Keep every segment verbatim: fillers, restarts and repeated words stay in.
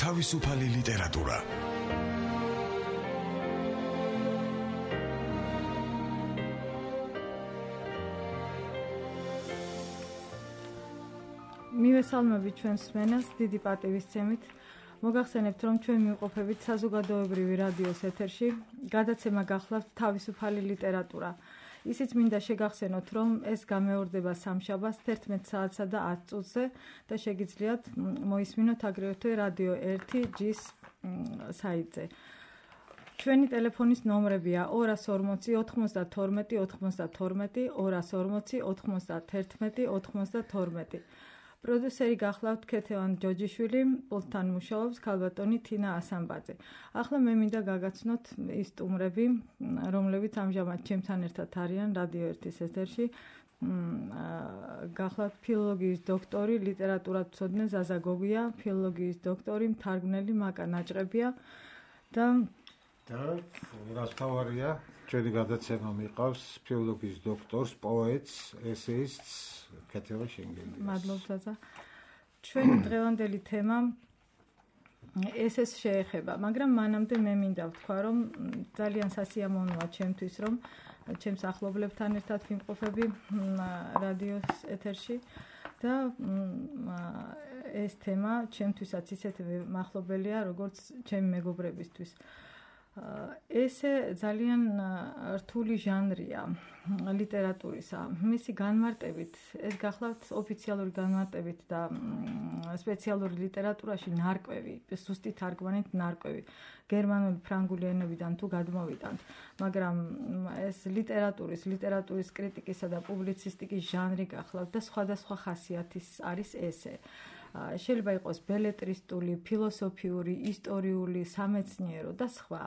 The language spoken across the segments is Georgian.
თავისუფალი ლიტერატურა. მივესალმებით ჩვენს მსმენელს დიდი პატივისცემით. მოგახსენებთ, რომ ჩვენ მივყოფებით საზოგადოებრივი რადიოს ეთერში გადაცემა გახლავთ თავისუფალი ლიტერატურა. ისიც მინდა შეგახსენოთ, რომ ეს გამეორდება სამშაბათს თერთმეტ საათსა და ათ წუთზე და შეგიძლიათ მოისმინოთ აგრეთვე რადიო ერთი ჯის საიტზე. ჩვენი ტელეფონის ნომრებია ორას ორმოცი ოთხმოცდათორმეტი ოთხმოცდათორმეტი, ორას ორმოცი ოთხმოცდათერთმეტი ოთხმოცდათორმეტი. პროდიუსერი გახლავთ ქეთევან ჯოჯიშვილი, პულტთან მუშაობს ქალბატონი თინა ასამბაძე. ახლა მე მინდა გაგაცნოთ ის სტუმრები, რომლებიც ამჟამად ჩემთან ერთად არიან რადიო ერთის ეთერში. გახლავთ ფილოლოგიის დოქტორი, ლიტერატურათმცოდნე ზაზა გოგია, ფილოლოგიის დოქტორი, მთარგმნელი მაკა ნაჭყებია და და რაც თავარია, ჩვენი გადაცემა მიყავს ფილოლოგიის დოქტორს, პოეტს, ესეისტს ქეთევან შენგელიას. მადლობთ ზაზა. ჩვენი დღევანდელი თემა ესეს შეეხება, მაგრამ მანამდე მე მინდა ვთქვა, რომ ძალიან სასიამოვნოა ჩემთვის, რომ ჩემს ახლობლებთან ერთად ვიმყოფები რადიოს ეთერში და ეს თემა ჩემთვისაც ისეთ მახლობელია, როგორც ჩემი მეგობრებისთვის. ესე ძალიან რთული ჟანრია ლიტერატურისა. მისი განმარტებით, ეს გახლავთ ოფიციალური განმარტებით და სპეციალური ლიტერატურაში ნარკვევი, ზუსტი თარგმანით ნარკვევი, გერმანული, ფრანგული ენებიდან თუ გადმოვიტანთ, მაგრამ ეს ლიტერატურის, ლიტერატურის კრიტიკისა და პუბლიცისტიკის ჟანრი გახლავთ და სხვადასხვა ხასიათის არის ესე. შეიძლება იყოს ბელეტრისტული, ფილოსოფიური, ისტორიული, სამეცნიერო და სხვა.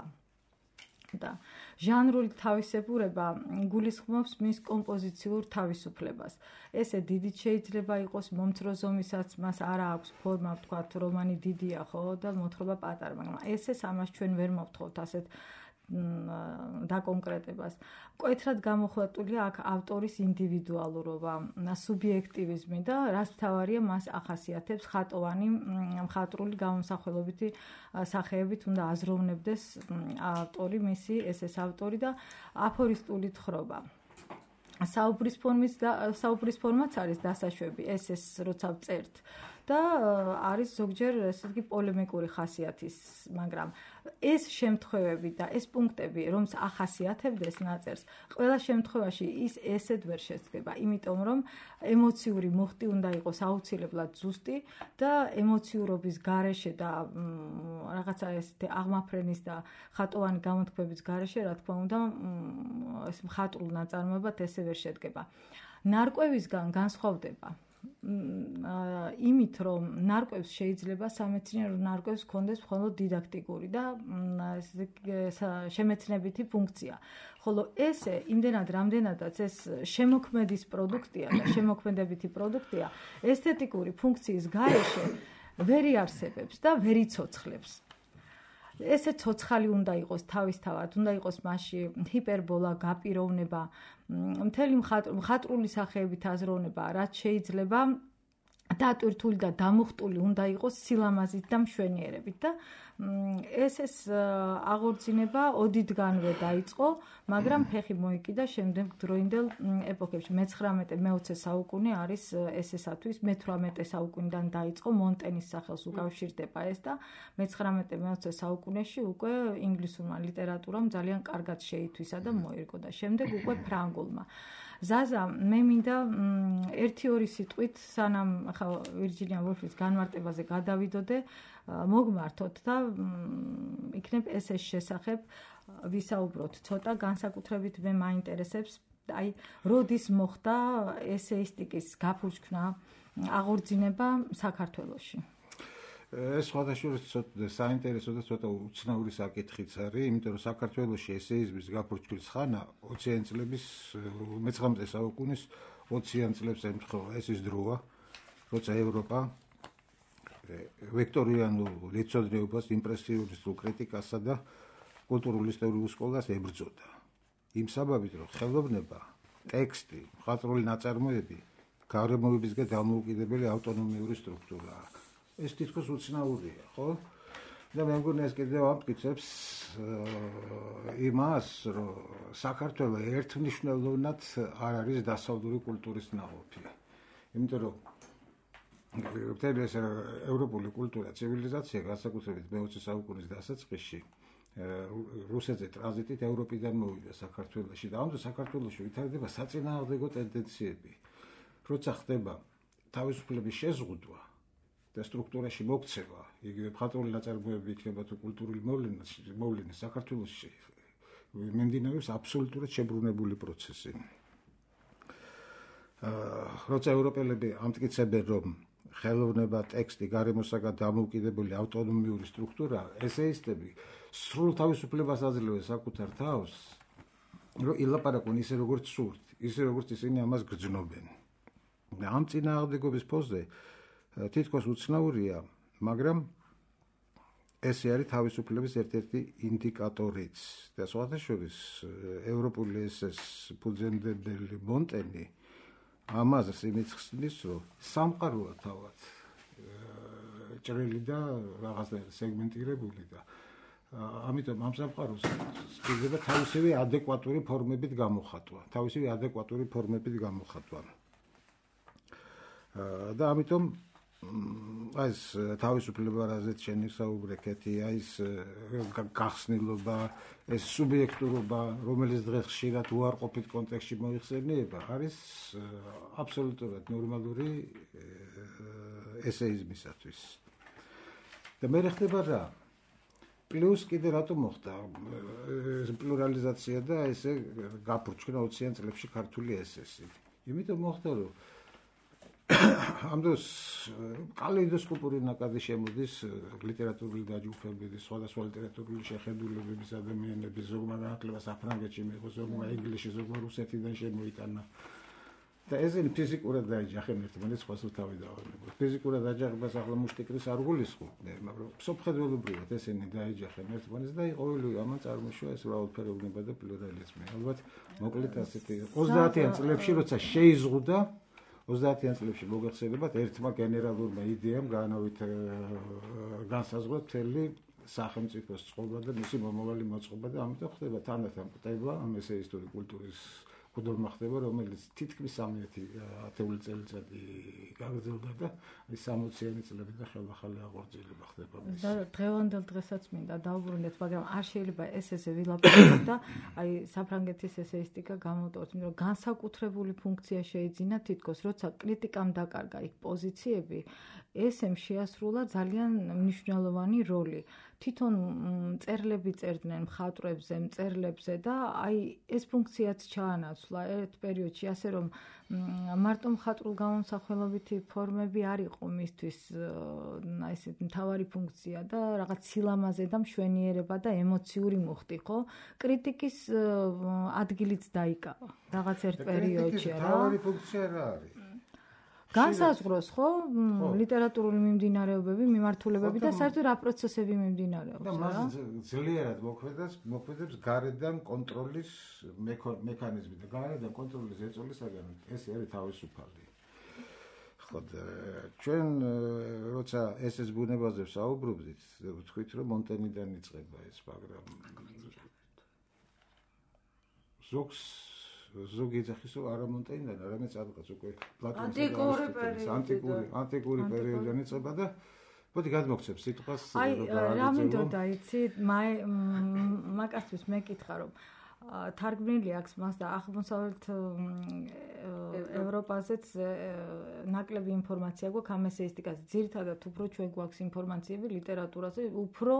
და ჟანრული თავისებურება გულისხმობს მის კომპოზიციურ თავისუფლებას. ესე დიდიც შეიძლება იყოს მომცრო ზომისაც, მას არა აქვს ფორმა, ვთქვათ, რომანი დიდია, ხო, და მოთხრობა პატარა, მაგრამ ესეს ამას ჩვენ ვერ მოვთხოვთ ასეთ დაკონკრეტებას. მკვეთრად გამოხატულია აქ ავტორის ინდივიდუალურობა, სუბიექტივიზმი და რაც მთავარია, მას ახასიათებს ხატოვანი მხატვრული გამომსახველობითი სახეებით უნდა აზროვნებდეს ავტორი, მისი ესეს ავტორი და აფორისტული თხრობა. საუბრის ფორმის და საუბრის ფორმაც არის დასაშვები, ესეს როცა ვწერთ და არის ზოგჯერ ესე იგი პოლემიკური ხასიათის, მაგრამ ეს შემთხვევები და ეს პუნქტები, რომც ახასიათებდეს ნაწერს, ყველა შემთხვევაში ის ესეთ ვერ შეცდება, იმიტომ რომ ემოციური მუხტი უნდა იყოს აუცილებლად ზუსტი და ემოციურობის გარეშე და რაღაცა ესეთი აღმაფრენის და ხატოვანი გამოთქმების გარეშე, რა თქმა უნდა, ეს მხატვრულ ნაწარმოებად ესე ვერ შედგება. ნარკვევისგან განსხვავდება იმით, რომ ნარკვევს შეიძლება სამეცნიერო ნარკვევს ჰქონდეს მხოლოდ დიდაქტიკური და შემეცნებითი ფუნქცია. ხოლო ესე იმდენად რამდენადაც ეს შემოქმედის პროდუქტია და შემოქმედებითი პროდუქტია, ესთეტიკური ფუნქციის გარეშე ვერ იარსებებს და ვერ იცოცხლებს. ესე ცოცხალი უნდა იყოს თავისთავად, უნდა იყოს მასში ჰიპერბოლა, გაპიროვნება, მთელი მხატვრული სახეებით აზროვნება, რაც შეიძლება დატვირთული და დამუხტული უნდა იყოს სილამაზით და მშვენიერებით და ესეს აღორძინება ოდითგანვე დაიწყო, მაგრამ ფეხი მოიკიდა შემდეგ დროინდელ ეპოქებში. მეცხრამეტე მეოცე საუკუნე არის ესესათვის, მეთვრამეტე საუკუნიდან დაიწყო, მონტენის სახელს უკავშირდება ეს და მეცხრამეტე მეოცე საუკუნეში უკვე ინგლისურმა ლიტერატურამ ძალიან კარგად შეითვისა და მოერგო და შემდეგ უკვე ფრანგულმა. ზაზა, მე მინდა ერთი ორი სიტყვით სანამ ხა ვირჯინია ვოლფის განმარტებაზე გადავიდოდე, მოგმართოთ და იქნებ ესეს შესახებ ვისაუბროთ. ცოტა განსაკუთრებით მე მაინტერესებს, აი, როდის მოხდა ესეისტიკის გაფურჩქნა, აღორძინება საქართველოში. ეს სხვადასხვა ცოტა საინტერესო და ცოტა უცნაური საკითხიც არის, იმიტომ რომ საქართველოში ესეიზმის გაფურჩქვის ხანა ოციან წლების მეცხრამეტე საუკუნის ოციან წლებს ემთხვევა. ეს ის დროა, როცა ევროპა ვექტორიანულ ლიცოდრეობას, იმპრესიონისტულ კრიტიკასა და კულტურულ ისტორიულ სკოლას ებრძოდა. იმ საბაბით, რომ ხელოვნება, ტექსტი, მხატვრული ნაწარმოები გარემოებისგან დამოუკიდებელი ავტონომიური სტრუქტურაა. ეს თითქოს უცნაურია, ხო? და მე მგონი ეს კიდევ ამტკიცებს იმას, რომ საქართველოს ერთმნიშვნელოვნად არ არის დასავლური კულტურის ნაყოფი. იმიტომ რომ მთელი ეს ევროპული კულტურა, ცივილიზაცია განსაკუთრებით მეოცე საუკუნის დასაწყისში რუსეთზე ტრანზიტით ევროპიდან მოვიდა საქართველოში და ამიტომ საქართველოში ვითარდება საწინააღმდეგო ტენდენციები. როცა ხდება თავისუფლების შეზღუდვა და სტრუქტურაში მოქცევა, იგივე მხატვრული ნაწარმოები იქნება თუ კულტურული მოვლენა საქართველოში მიმდინარეობს აბსოლუტურად შებრუნებული პროცესი. როცა ევროპელები ამტკიცებენ, რომ ხელოვნება, ტექსტი, გარემოსაგან დამოუკიდებელი ავტონომიური სტრუქტურა, ესეისტები სრულ თავისუფლებას აძლევენ საკუთარ თავს, რომ ილაპარაკონ ისე როგორც სურთ, ისე როგორც ისინი ამას გრძნობენ. და ამ წინააღმდეგობის ფონზე თითქოს უცნაურია, მაგრამ ესე არის თავისუფლების ერთ-ერთი ინდიკატორიც. და სხვათა შორის ევროპული ესეს ფუძემდებელი მონტენი ამაზე იმით ხსნის, რომ სამყაროა თავად ჭრელი და რაღაცნაირად სეგმენტირებული და ამიტომ ამ სამყაროს შეიძლება თავისივე ადეკვატური ფორმებით გამოხატვა, თავისივე ადეკვატური ფორმებით გამოხატვა. და ამიტომ აი ეს თავისუფლება, რაზეც შენ ისაუბრე, კეთი, აი ეს გახსნილობა, ეს სუბიექტურობა, რომელიც დღეს ხშირად უარყოფით კონტექსტში მოიხსენიება, არის აბსოლუტურად ნორმალური ესეიზმისათვის. და მე ხდება რა? პლუს კიდე რატომ მოხდა პლურალიზაცია და ესე გაფურჩქნა ოციან წლებში ქართული ესესი? იმიტომ მოხდა, რომ ამ დროს კალეიდოსკოპური ნაკადი შემოდის ლიტერატურული დაჯგუფებების, სხვადასხვა ლიტერატურული შეხედულებების ადამიანების, ზოგმა განათლება საფრანგეთში მიიღო, ზოგმა ინგლისში, ზოგმა რუსეთიდან შემოიტანა. და ესენი ფიზიკურად დაეჯახენ ერთმანეთს, სხვას თავი დავანებოთ. ფიზიკურად დაჯახებას ახლა მუშტიკრის არ გულისხმობდნენ, მაგრამ სოფხედველობრივად ესენი დაეჯახენ ერთმანეთს და ყოველი ამან წარმოშვა ეს მრავალფეროვნება და პლურალიზმი. ალბათ მოკლედ ასეთი ოცდაათიან წლებში, როცა შეიზღუდა ოცდაათიან წლებში მოგეხსენებათ ერთმა გენერალურმა იდეამ განავით განსაზღვრა მთელი სახელმწიფოს წყობა და მისი მომავალი მოწყობა და ამიტომ ხდება თანდათან ყდება ამ ესეისტური კულტურის კუდურმა ხდება, რომელიც თითქმის სამი ათეული წელიწადი გაგრძელდა და ის სამოციანი წლები და ხელახალი აღორძილება ხდება. და დღევანდელ დღესაც მინდა დავუბრუნდეთ, მაგრამ არ შეიძლება ეს ესე ვილაპარაკოთ და აი საფრანგეთის ესეისტიკა გამოვტოვოთ, იმიტომ რომ განსაკუთრებული ფუნქცია შეიძინა თითქოს, როცა კრიტიკამ დაკარგა იქ პოზიციები, ესემ შეასრულა ძალიან მნიშვნელოვანი როლი. თვითონ წერლები წერდნენ მხატვრებზე, მწერლებზე და აი ეს ფუნქციაც ჩაანაცვლა ერთ პერიოდში, ასე რომ მარტო მხატვრულ გამომსახველობითი ფორმები არ იყო მისთვის აი ეს მთავარი ფუნქცია და რაღაც სილამაზე და მშვენიერება და ემოციური მუხტი, ხო? კრიტიკის ადგილიც დაიკავა რაღაც ერთ პერიოდში რა. მთავარი ფუნქცია რა არის? განსაზღვროს, ხო? ლიტერატურული მიმდინარეობები, მიმართულებები და საერთოდ რა პროცესები მიმდინარეობს, რა? და მას ძლიერად მოქმედებს, მოქმედებს გარედან კონტროლის მექანიზმი და გარედან კონტროლის ეწოლისაგან ეს არის თავისუფალი. ხო, ჩვენ როცა ესეს ბუნებაზე ვსაუბრობდით, ვთქვით, რომ მონტენიდან იწყება ეს, მაგრამ ზოგს ზოგი ეძახის, რომ არა მონტენიდან, არამედ სადღაც უკვე პლატონის ანტიკური ანტიკური პერიოდიდან იწყება და მოდი გადმოგცემ სიტყვას. აი, რა მინდოდა, იცი, მაგასთვის მეკითხა, რომ თარგმნილი აქვს მას და აღმოსავლეთ ევროპაზეც ნაკლები ინფორმაცია გვაქვს ამ ესეისტიკაზე. ძირითადად უფრო ჩვენ გვაქვს ინფორმაციები ლიტერატურაზე, უფრო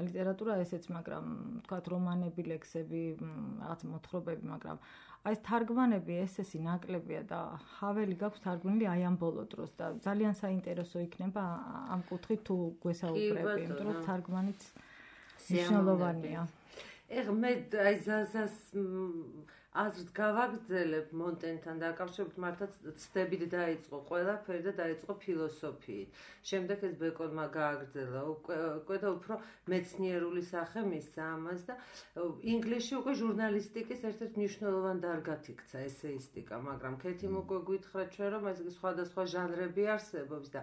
ლიტერატურა ესეც, მაგრამ თქვათ რომანები, ლექსები, რაღაც მოთხრობები, მაგრამ აი ეს თარგმანები, ესესი ნაკლებია და ჰაველი გაქვს თარგმნილი აი ამ ბოლო დროს და ძალიან საინტერესო იქნება ამ კუთხით თუ გვესაუბრები, იმიტომ რომ თარგმანიც მნიშვნელოვანია. ეხ მე აი ზაზას აზრს გავაგრძელებ მონტენთან დაკავშირებით, მართლაც ცდებით დაიწყო ყველაფერი და დაიწყო ფილოსოფიით. შემდეგ ეს ბეკონმა გააგრძელა უკვე და უფრო მეცნიერული სახე მისცა ამას და ინგლისში უკვე ჟურნალისტიკის ერთ-ერთ მნიშვნელოვან დარგად იქცა ესეისტიკა, მაგრამ ქეთიმ უკვე გითხრა ჩვენ რომ ეს სხვადასხვა ჟანრები არსებობს და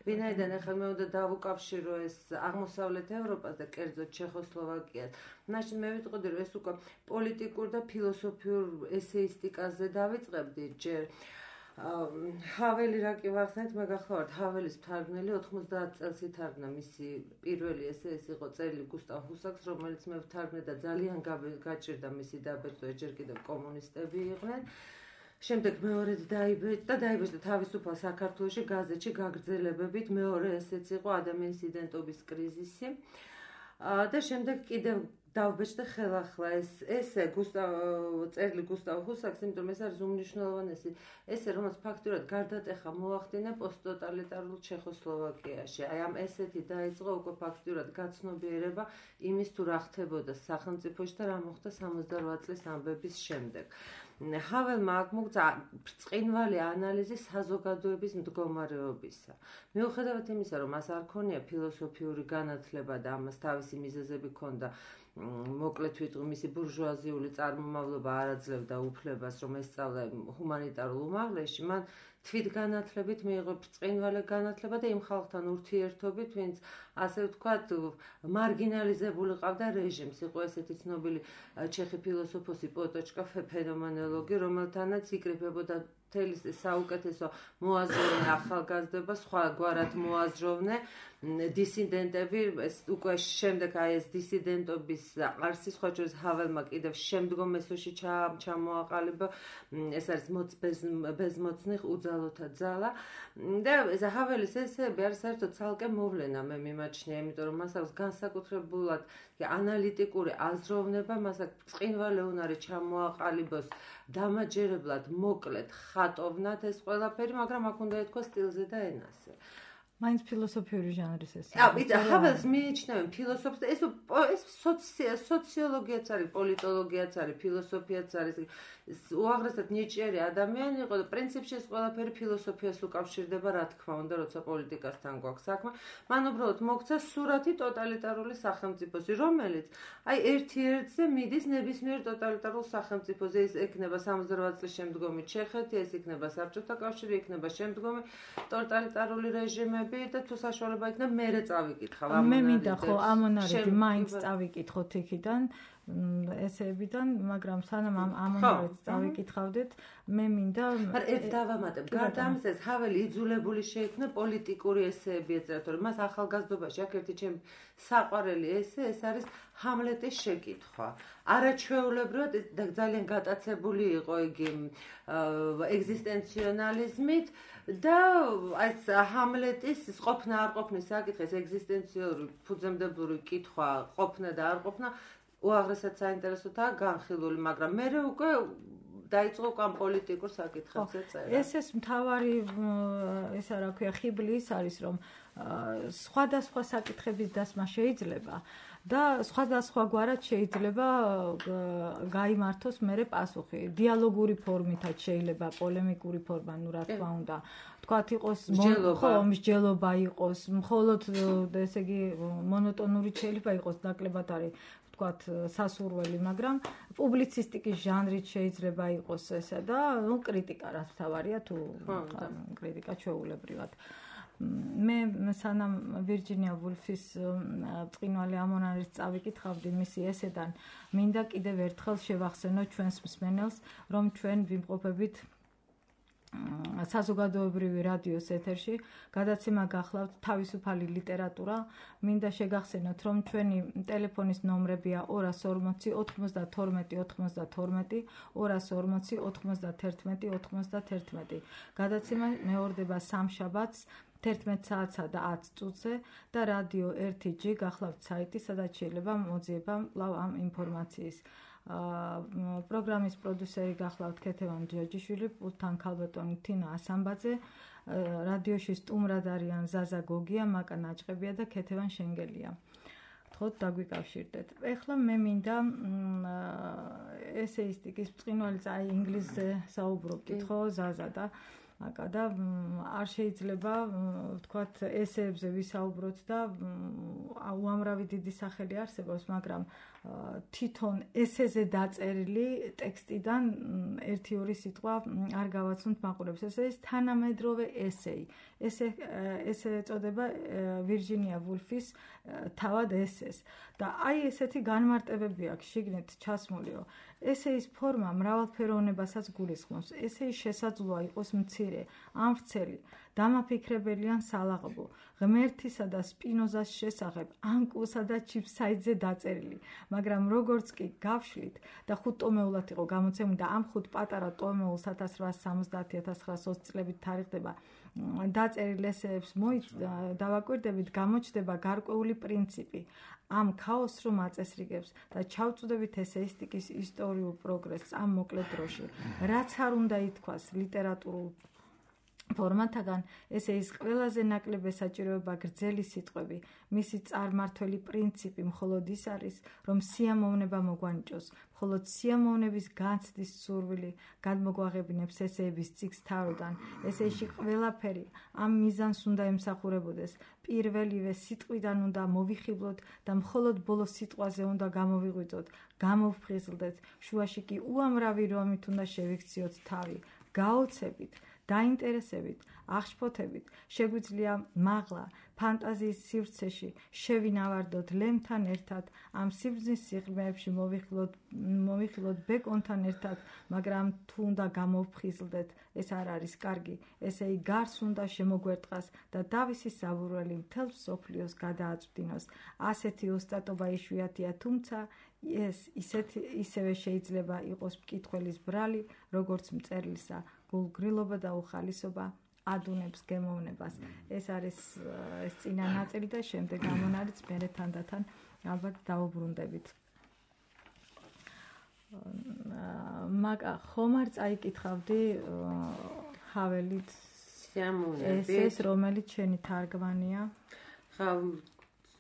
ვინაიდან ახლა მე უნდა დავუკავშირო ეს აღმოსავლეთ ევროპას და კერძოდ ჩეხოსლოვაკიას. მაშინ მე ვიტყოდი რომ ეს უკვე პოლიტიკურ და ფილოსოფიურ ესეისტიკაზე დავიწყებდი ჯერ ჰაველი რა კი ვახსენეთ, მე გახლავართ ჰაველის მთარგმნელი ოთხმოცდაათ წელს ითარგმნა მისი პირველი ესე ეს იყო წერილი გუსტავ ჰუსაკს, რომელიც მე ვთარგმნე და ძალიან გაჭირდა მისი დაბეჭდა, ჯერ კიდევ კომუნისტები იყვნენ. შემდეგ მეორედ დაიბეჭდა და დაიბეჭდა თავისუფალ საქართველოში გაზეთში გაგრძელებებით, მეორე ესეც იყო ადამიანის იდენტობის კრიზისი. და შემდეგ კიდევ დავბეჭდა ხელახლა ეს ესე გუსტავ წერილი გუსტავ ჰუსაკს, იმიტომ ეს არის უმნიშვნელოვანესი ესე, რომელიც ფაქტურად გარდატეხა მოახდინა პოსტტოტალიტარულ ჩეხოსლოვაკიაში. აი ამ ესეთი დაიწყო უკვე ფაქტურად გაცნობიერება იმის თუ რა ხდებოდა სახელმწიფოში და რა მოხდა სამოცდარვა წლის ამბების შემდეგ. ჰაველმა აქ მოგცა ბრწყინვალე ანალიზი საზოგადოების მდგომარეობისა. მიუხედავად იმისა, რომ მას არ ქონია ფილოსოფიური განათლება და ამას თავისი მიზეზები ჰქონდა, მოკლედ ვიტყვი მისი ბურჟუაზიული წარმომავლობა არ აძლევდა უფლებას, რომ ესწავლა ჰუმანიტარულ უმაღლესში, მან თვითგანათლებით მიიღო ბრწყინვალე განათლება და იმ ხალხთან ურთიერთობით, ვინც ასე ვთქვათ, მარგინალიზებული ყავდა რეჟიმს. იყო ესეთი ცნობილი ჩეხი ფილოსოფოსი პოტოჩკა ფენომენოლოგი, რომელთანაც იკრიბებოდა მთელი საუკეთესო მოაზროვნე ახალგაზრდობა, სხვაგვარად მოაზროვნე დისიდენტები, ეს უკვე შემდეგ აი ეს დისიდენტობის არსი, სხვა შორის ჰაველმა კიდევ შემდგომ ესოში ჩამოაყალიბა, ეს არის ბეზმოცნი უძალოთა ძალა და ეს ჰაველის ესეები არის საერთოდ ცალკე მოვლენა, მე მიმაჩნია, იმიტომ რომ მას აქვს განსაკუთრებულად ანალიტიკური აზროვნება, მას აქვს ბრწყინვალე უნარი ჩამოაყალიბოს დამაჯერებლად, მოკლედ, ხატოვნად ეს ყველაფერი, მაგრამ აქ უნდა ეთქვა სტილზე და ენაზე. მაინც ფილოსოფიური ჟანრის ეს. აბა, ჰაველს მიიჩნევენ ფილოსოფს და ეს ეს სოციოლოგიაც არის, პოლიტოლოგიაც არის, ფილოსოფიაც არის. უაღრესად ნიჭიერი ადამიანი იყო და პრინციპში ეს ყველაფერი ფილოსოფიას უკავშირდება, რა თქმა უნდა, როცა პოლიტიკასთან გვაქვს საქმე. მან უბრალოდ მოგცა სურათი ტოტალიტარული სახელმწიფოსი, რომელიც აი ერთ-ერთზე მიდის ნებისმიერ ტოტალიტარულ სახელმწიფოზე. ეს ექნება სამოცდარვა წლის შემდგომი ჩეხეთი, ეს იქნება საბჭოთა კავშირი, იქნება შემდგომი ტოტალიტარული რეჟიმები და თუ საშუალება იქნება მერე წავიკითხავ ამ მე მინდა ხო ამონარები მაინც წავიკითხოთ იქიდან ესეებიდან, მაგრამ სანამ ამ ამონარებს წავიკითხავდეთ, მე მინდა მაგრამ ერთ დავამატებ. გარდა ამისა, ეს ჰაველი იძულებული შეიქმნა პოლიტიკური ესეები ეწერა, თორემ მას ახალგაზრდობაში აქ ერთი ჩემი საყვარელი ესე, ეს არის ჰამლეტის შეკითხვა. არაჩვეულებრივად და ძალიან გატაცებული იყო იგი ეგზისტენციონალიზმით და ეს ჰამლეტის ყოფნა არ ყოფნის საკითხი, ეს ეგზისტენციური ფუძემდებლური კითხვა, ყოფნა და არ ყოფნა უაღრესად საინტერესოა განხილული, მაგრამ მე უკვე დაიწყო ამ პოლიტიკურ საკითხებზე წერა. ეს ეს მთავარი ესა რა ქვია ხიბლი ის არის, რომ სხვადასხვა საკითხების დასმა შეიძლება და სხვადასხვა გვარად შეიძლება გაიმართოს მერე პასუხი. დიალოგური ფორმითაც შეიძლება, პოლემიკური ფორმა, ნუ რა თქმა უნდა. თქვათ იყოს ხო, მსჯელობა იყოს, მხოლოდ ესე იგი მონოტონური შეიძლება იყოს, ნაკლებად არის ვთქვათ სასურველი, მაგრამ პუბლიცისტიკის ჟანრით შეიძლება იყოს ესა და ნუ კრიტიკა რაც თავარია თუ კრიტიკა ჩვეულებრივად. მე სანამ ვირჯინია ვულფის ბრწყინვალე ამონარის წავიკითხავდი მისი ესედან, მინდა კიდევ ერთხელ შევახსენო ჩვენს მსმენელს, რომ ჩვენ ვიმყოფებით საზოგადოებრივი რადიოს ეთერში, გადაცემა გახლავთ თავისუფალი ლიტერატურა. მინდა შეგახსენოთ, რომ ჩვენი ტელეფონის ნომრებია ორას ორმოცი ოთხმოცდათორმეტი ოთხმოცდათორმეტი, ორას ორმოცი ოთხმოცდათერთმეტი ოთხმოცდათერთმეტი. გადაცემა მეორდება სამშაბათს თერთმეტ საათსა და ათ წუთზე და რადიო ერთი ჯი გახლავთ საიტი, სადაც შეიძლება მოძიება კვლავ ამ ინფორმაციის. პროგრამის პროდიუსერი გახლავთ ქეთევან ჯაჯიშვილი, პულტთან ქალბატონი თინა ასამბაძე, რადიოში სტუმრად არიან ზაზა გოგია, მაკა ნაჭყებია და ქეთევან შენგელია. გთხოვთ დაგვიკავშირდეთ. ეხლა მე მინდა ესეისტიკის ბრწყინვალე აი ინგლისზე საუბრობდით ხო ზაზა და აკა და არ შეიძლება ვთქვათ ესეებზე ვისაუბროთ და უამრავი დიდი სახელი არსებობს, მაგრამ თვითონ ესეზე დაწერილი ტექსტიდან ერთი ორი სიტყვა არ გავაცნოთ მაყურებს. ეს არის თანამედროვე ესეი. ესე ესე ეწოდება ვირჯინია ვულფის თავად ესეს. და აი ესეთი განმარტებები აქვს შიგნით ჩასმულიო. ესეის ფორმა მრავალფეროვნებასაც გულისხმობს. ესეი შესაძლოა იყოს მცირე, ან ვრცელი, დამაფიქრებელი ან სალაღობო, ღმერთისა და სპინოზას შესახებ, ან კუსა და ჩიფსაიძე დაწერილი, მაგრამ როგორც კი გავშლით და ხუთ ტომეულად იყო გამოცემული და ამ ხუთ პატარა ტომეულს ათას რვაასი სამოცდაათი ათას ცხრაასი ოცი წლებით თარიღდება დაწერილ ესეებს დავაკვირდებით, გამოჩნდება გარკვეული პრინციპი. ამ ქაოსს რომ აწესრიგებს და ჩავწვდებით ესეისტიკის ისტორიულ პროგრესს ამ მოკლე დროში, რაც არ უნდა ითქვას ლიტერატურულ ფორმატაგან, ესეის ყველაზე ნაკლებ ესაჭიროება გრძელი სიტყვები, მისი წარმართველი პრინციპი მხოლოდ ის არის, რომ სიამოვნება მოგვანიჭოს, მხოლოდ სიამოვნების განცდის სურვილი გადმოგვაღებინებს ესეების წიგნს თავიდან. ესეში ყველაფერი ამ მიზანს უნდა ემსახურებოდეს. პირველივე სიტყვიდან უნდა მოვიხიბლოთ და მხოლოდ ბოლო სიტყვაზე უნდა გამოვიღვიძოთ, გამოვფხიზლდეთ. შუაში კი უამრავი რომით უნდა შევიქციოთ თავი, გაოცებით, დაინტერესებით, აღშფოთებით, შეგვიძლია მაღლა, ფანტაზიის სივრცეში შევინავარდოთ ლემთან ერთად, ამ სიბრძნის სიღრმეებში მოვიხილოთ ბეკონთან ერთად, მაგრამ თუ უნდა გამოვფხიზლდეთ, ეს არ არის კარგი, ესეი გარს უნდა შემოგვერტყას და დავისი საბურველი მთელ მსოფლიოს გადააწვდინოს. ასეთი ოსტატობა იშვიათია, თუმცა ეს ისევე შეიძლება იყოს მკითხველის ბრალი, როგორც მწერლისა. გულგრილობა და უხალისობა ადუნებს გემოვნებას. ეს არის ეს წინა ნაწილი და შემდეგ ამონარიც მერე თანდათან ალბათ დავუბრუნდებით. მაგა ხომ არ წაიკითხავდი ჰაველით სიამოვნებით ეს რომელიც შენი თარგმანია? ხა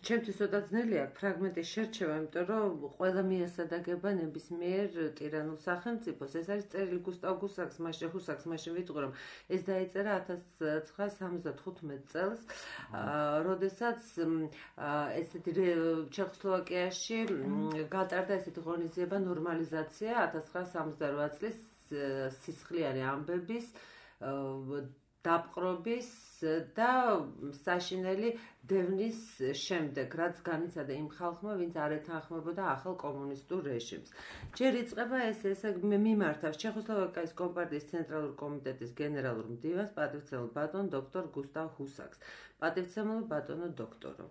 ჩემთვის ცოტა ძნელია ფრაგმენტის შერჩევა, იმიტომ რომ ყველა მიესადაგება ნებისმიერ ტირანულ სახელმწიფოს. ეს არის წერილი გუსტავ გუსაკს, მაშინ ჰუსაკს, მაშინ ვიტყვი რომ ეს დაიწერა ათას ცხრაასი სამოცდათხუთმეტ წელს, როდესაც ესეთი ჩეხოსლოვაკიაში გატარდა ესეთი ღონისძიება ნორმალიზაცია ათას ცხრაასი სამოცდარვა წლის სისხლიანი ამბების დაპყრობის და საშინელი დევნის შემდეგ, რაც განიცადა იმ ხალხმა, ვინც არ ეთანხმებოდა ახალ კომუნისტურ რეჟიმს. ჯერ იწყება ეს ესე მიმართავს ჩეხოსლოვაკიის კომპარტიის ცენტრალური კომიტეტის გენერალურ მდივანს, პატივცემულ ბატონ დოქტორ გუსტავ ჰუსაკს. პატივცემულ ბატონო დოქტორო.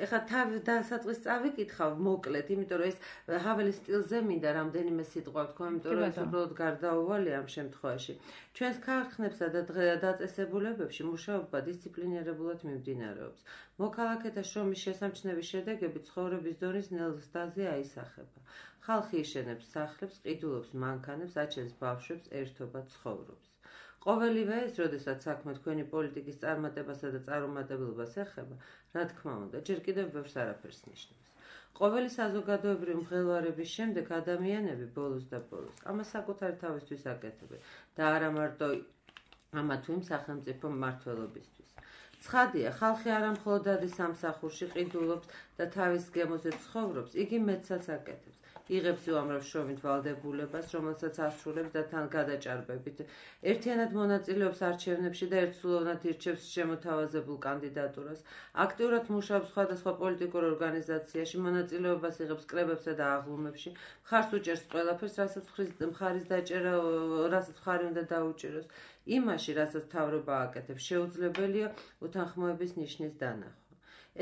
ეხლა თავი დასაწყის წავიკითხავ მოკლედ, იმიტომ რომ ეს ჰაველის სტილზე მინდა რამდენიმე სიტყვა ვთქვა, იმიტომ რომ ეს უბრალოდ გარდაუვალია ამ შემთხვევაში. ჩვენს ქარხნებსა და დაწესებულებებში მუშაობა დისციპლინირებულად მიმდინარეობს. მოქალაქეთა შრომის შესამჩნევის შედეგები ცხოვრების დონის ნელ ზრდაზე აისახება. ხალხი იშენებს სახლებს, ყიდულობს მანქანებს, აჩენს ბავშვებს, ერთობა ცხოვრობს. ყოველივე ეს, როდესაც საქმე თქვენი პოლიტიკის წარმატებასა და წარუმატებლობას ეხება, რა თქმა უნდა, ჯერ კიდევ ბევრს არაფერს ნიშნავს. ყოველი საზოგადოებრივი მღელვარების შემდეგ ადამიანები ბოლოს და ბოლოს ამას საკუთარი თავისთვის აკეთებენ და არა მარტო ამა თუ იმ სახელმწიფო მმართველობისთვის. ცხადია, ხალხი არა მხოლოდ ადის სამსახურში, ყიდულობს და თავის გემოზე ცხოვრობს, იგი მეტსაც აკეთებს. იღებს უამრავ შრომით ვალდებულებას, რომელსაც ასრულებს და თან გადაჭარბებით. ერთიანად მონაწილეობს არჩევნებში და ერთსულოვნად ირჩევს შემოთავაზებულ კანდიდატურას. აქტიურად მუშაობს სხვადასხვა პოლიტიკურ ორგანიზაციაში, მონაწილეობას იღებს კრებებსა და აღლუმებში. მხარს უჭერს ყველაფერს, რასაც მხარის დაჭერა, რასაც მხარი უნდა დაუჭიროს. იმაში, რასაც მთავრობა აკეთებს, შეუძლებელია უთანხმოების ნიშნის დანახვა.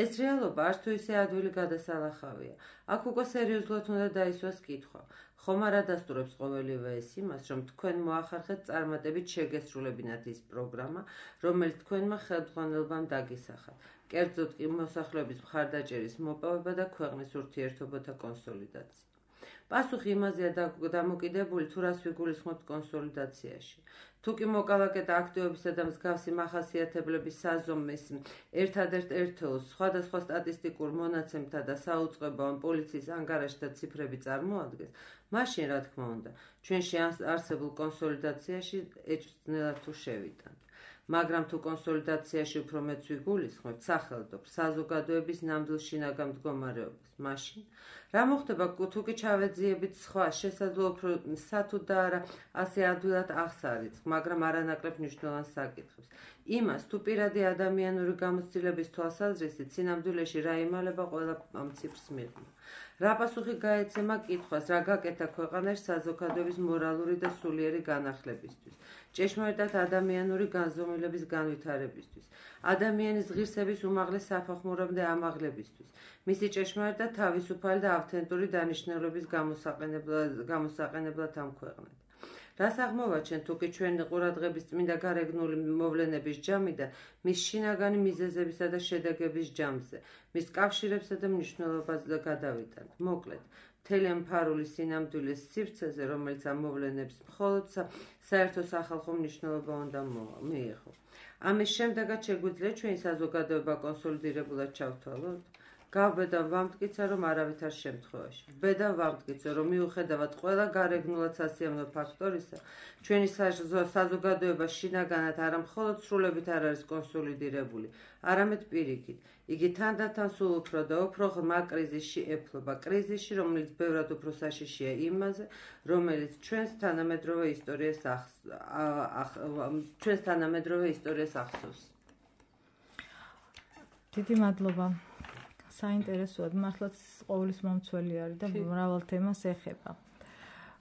ეს რეალობა არც თუ ისე ადვილი გადასალახავია. აქ უკვე სერიოზულად უნდა დაისვას კითხვა. ხომ არ ადასტურებს ყოველივე ეს იმას, რომ თქვენ მოახერხეთ წარმატებით შეგესრულებინათ ის პროგრამა, რომელიც თქვენმა ხელმძღვანელობამ დაგისახა. კერძოდ კი მოსახლეობის მხარდაჭერის მოპოვება და ქვეყნის ურთიერთობათა კონსოლიდაცია. პასუხი იმაზეა დამოკიდებული, თუ რას ვიგულისხმობთ კონსოლიდაციაში. თუ კი მოკალაკეთა აქტივობისა და მსგავსი მახასიათებლების საზომის ერთადერთ ერთეულს სხვადასხვა სტატისტიკურ მონაცემთა და საუწყებო ან პოლიციის ანგარიშთა ციფრები წარმოადგენს, მაშინ, რა თქმა უნდა, ჩვენში არსებულ კონსოლიდაციაში ეჭვს თუ შევიტანთ. მაგრამ თუ კონსოლიდაციაში უფრო მეც ვიგულისხმებთ სახელმწიფო საზოგადოების ნამდვილ შინაგან მდგომარეობას, მაშინ რა მოხდება, თუ კი ჩავეძიებით სხვა შესაძლოა უფრო სათუ და არა ასე ადვილად აღსარიცხ, მაგრამ არანაკლებ მნიშვნელოვან საკითხებს. იმას, თუ პირადი ადამიანური გამოცდილების თვალსაზრისით სინამდვილეში რა იმალება ყველა ამ ციფრს მიღმა. რა პასუხი გაეცემა კითხვას, რა გაკეთა ქვეყანაში საზოგადოების მორალური და სულიერი განახლებისთვის, ჭეშმარიტად ადამიანური განზომილების განვითარებისთვის, ადამიანის ღირსების უმაღლეს საფეხურამდე ამაღლებისთვის, მისი ჭეშმარიტ და თავისუფალი და ავთენტური დანიშნულების გამოსაყენებლად ამ ქვეყნად. რას აღმოვაჩენთ, თუ კი ჩვენი ყურადღების წმინდა გარეგნული მოვლენების ჯამი და მის შინაგანი მიზეზებისა და შედეგების ჯამზე, მის კავშირებსა და მნიშვნელობაზე გადავიტანთ. მოკლედ, მთელი ამ ფარული სინამდვილის სივრცეზე, რომელიც ამ მოვლენებს მხოლოდ საერთო სახალხო მნიშვნელობა უნდა მიიღო. ამის შემდეგაც შეგვიძლია ჩვენი საზოგადოება კონსოლიდირებულად ჩავთვალოთ. გავბედავ ვამტკიცე, რომ არავითარ შემთხვევაში. ბედავ ვამტკიცე, რომ მიუხედავად ყველა გარეგნულად სასიამოვნო ფაქტორისა, ჩვენი საზოგადოება შინაგანად არა მხოლოდ სრულებით არ არის კონსოლიდირებული, არამედ პირიქით. იგი თანდათან სულ უფრო და უფრო ღრმა კრიზისში ეფლობა, კრიზისში, რომელიც ბევრად უფრო საშიშია იმაზე, რომელიც ჩვენს თანამედროვე ისტორიას ჩვენს თანამედროვე ისტორიას ახსოვს. დიდი მადლობა. საინტერესოა, მართლაც ყოვლის მომცველი არის და მრავალ თემას ეხება.